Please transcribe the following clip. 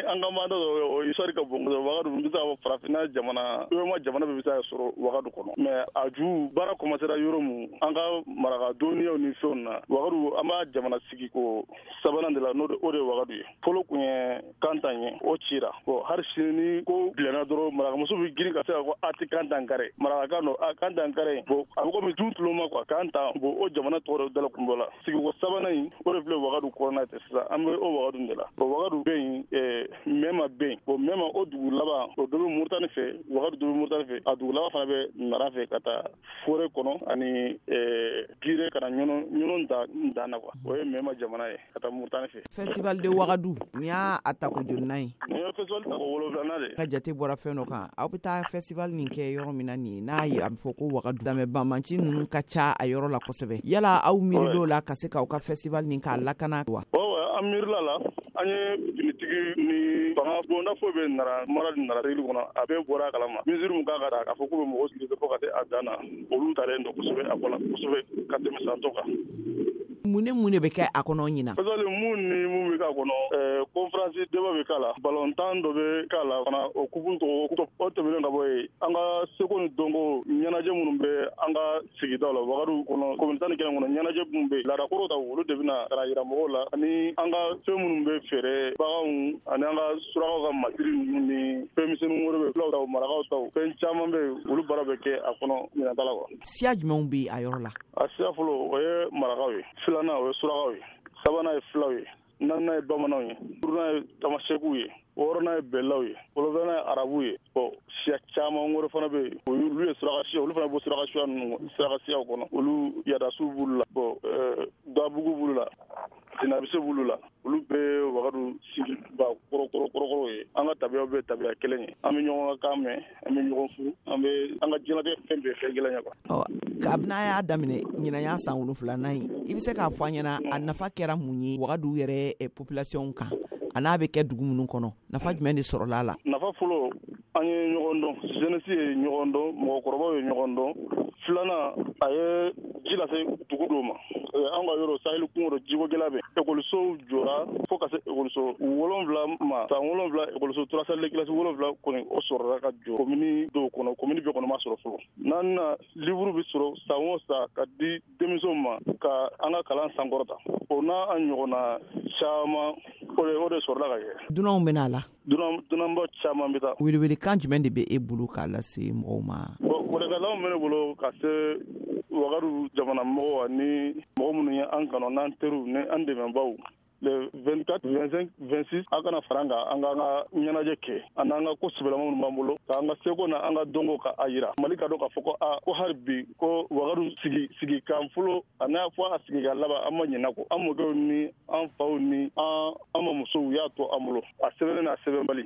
An ka maa dɔ o histoire ka bon kosɛbɛ. Wagadu, n bɛ se k'a fɔ farafinna jamana, UEMOA jamana bɛɛ bɛ se ka sɔrɔ Wagadu kɔnɔ. Mais a ju baara commencera yɔrɔ mun, an ka maraka dɔnniyaw ni fɛnw na, Wagadu, an b'a jamana sigi ko sabanan de la, n'o o de ye Wagadu ye. Fɔlɔ kun ye Kantan ye, o cira. Bon, hali sini ni ko bilenna dɔrɔn, marakamuso bɛ girin ka se ka ko a tɛ Kantan kare, marakakan don, a Kantan kare. Bon, a bɛ komi du tuloma quoi, Kantan. Bon, o jamana tɔgɔ de dala kun bɔ la. Sigiko sabanan in, o de filɛ Wagadu kɔnɔna tɛ sisan, an bɛ o Wagadu de la. Bon, Wagadu bɛ yen, Mɛma bɛ yen. Bon, Mɛma, o dugu laban, o dɔ bɛ Muritani fɛ, Wagadu dɔ bɛ Muritani fɛ, a dugu laban fana bɛ Nara fɛ, ka taa forêt kɔnɔ ani Gire, ka na Ɲɔnɔ dan na quoi. O ye Mɛma jamana ye, ka taa Muritani fɛ. Festival de Wagadu nin y'a a tako jolinan ye? Nin ye festival tako 7nan de. Ka jate bɔra fɛn dɔ kan, aw bɛ taa festival nin kɛ yɔrɔ min na nin ye, n'a ye a bɛ fɔ ko Wagadu lamɛn banbanci ninnu ka ca a yɔrɔ la kosɛbɛ. Yala aw miiril'o la ka se k'aw ka festival nin k'a lakana wa? An miirila la. An ye finitigi ni fanga bonda foyi bɛ Nara mara ni Nara règle kɔnɔ, a bɛɛ bɔra a kalama. Mesure mun kan ka ta k'a fɔ k'u bɛ mɔgɔw sigi fo ka se a dan na, olu talen don kosɛbɛ a ko la kosɛbɛ ka tɛmɛ san tɔ kan. Mun ni mun de bɛ kɛ a kɔnɔ ɲinan? Festival, mun ni mun bɛ k'a kɔnɔ, conférence débat bɛ k'a la, balontan dɔ bɛ k'a la fana, o coupe tɔgɔ. O tɛmɛnen ka bɔ yen, an ka seko ni dɔnko ɲɛnajɛ minnu bɛ an ka sigidaw la, Wagadu kɔnɔ, commune 11 kɔnɔ, ɲɛnajɛ minnu bɛ yen, laadakɔrɔw ta, olu de bɛna ka na yira mɔgɔw la, ani an ka fɛn minnu bɛ feere, baganw ani an ka surakaw ka masiri ninnu ni fɛn misɛnnin wɛrɛ bɛ, fulaw taw, marakaw taw, fɛn caman bɛ yen, olu baara bɛ kɛ a kɔnɔ ɲinan ta la quoi. Siya jumɛnw bɛ a yɔrɔ la? A siya fɔlɔ, o ye marakaw ye, filanan, o ye surakaw ye, sabanan ye fulaw ye, naaninan ye bamananw ye, duurunan ye tamasɛkiw ye, wɔɔrɔnan ye bɛlaw ye, wolonwulanan ye arabuw ye. Bon, siya caman wɛrɛ fana bɛ yen, olu ye suraka siya, olu fana bɔ suraka siya ninnu, suraka siyaw kɔnɔ, olu yadasiw b'olu la, bon, dabugu b'olu la, jinabise b'olu la. Olu bɛɛ Wagadu sigiba kɔrɔkɔrɔ ye. An ka tabiyaw bɛ tabiya kelen ye, an bɛ ɲɔgɔn ka kan mɛn, an bɛ ɲɔgɔn furu, an bɛ an ka diɲɛlatigɛ fɛn bɛɛ fɛn kelen ye quoi. Ɔ, kabini a y'a daminɛ, ɲinan y'a san 7nan ye, i bɛ se k'a fɔ an ɲɛna a nafa kɛra mun ye Wagadu yɛrɛ population kan, a n'a bɛ kɛ dugu minnu kɔnɔ, nafa jumɛn de sɔrɔla a la? Nafa fɔlɔ, an ye ɲɔgɔn dɔn, jeunesse ye ɲɔgɔn dɔn, mɔgɔkɔrɔbaw ye ɲɔgɔn dɔn. Filanan, a ye ji lase dugu dɔw ma. An ka yɔrɔ sahel kungo dɔ, jiko gɛlɛya bɛ, ekɔlisow jɔra fo ka se ekɔliso 7 ma. San 7, ekɔliso trois salles de classe 7 kɔni, o sɔrɔla ka jɔ komini dɔw kɔnɔ, komini bɛɛ kɔnɔ ma sɔrɔ fɔlɔ. Naaninan, livre bɛ sɔrɔ san o san ka di denmisɛnw ma ka an ka kalan sankɔrɔta. O n'a an ɲɔgɔnna caman, o de sɔrɔla ka kɛ. Dunanw bɛ na la? Dunanba caman bɛ taa. Welewelekan jumɛn de bɛ e bolo k'a lase mɔgɔw ma? Bon, welewelekan bɛ ne bolo ka se Wagadu jamana mɔgɔw ani mɔgɔ minnu ye an kanu, n'an teriw ni an dɛmɛbaw, le 24, 25, 26, an kana fara an kan, an k'an ka ɲɛnajɛ kɛ ani an ka ko sɛbɛlama minnu b'an bolo, k'an ka seko na an ka dɔnko ka a yira Mali ka dɔn k'a fɔ ko a ko hali bi ko Wagadu sigi sigikan fɔlɔ a n'a fɔ a sigi ka laban, an ma ɲinɛ kɔ. An mɔkɛw ni an faw ni an mamusow y'a to an bolo, a sɛbɛnnen n'a sɛbɛnbali.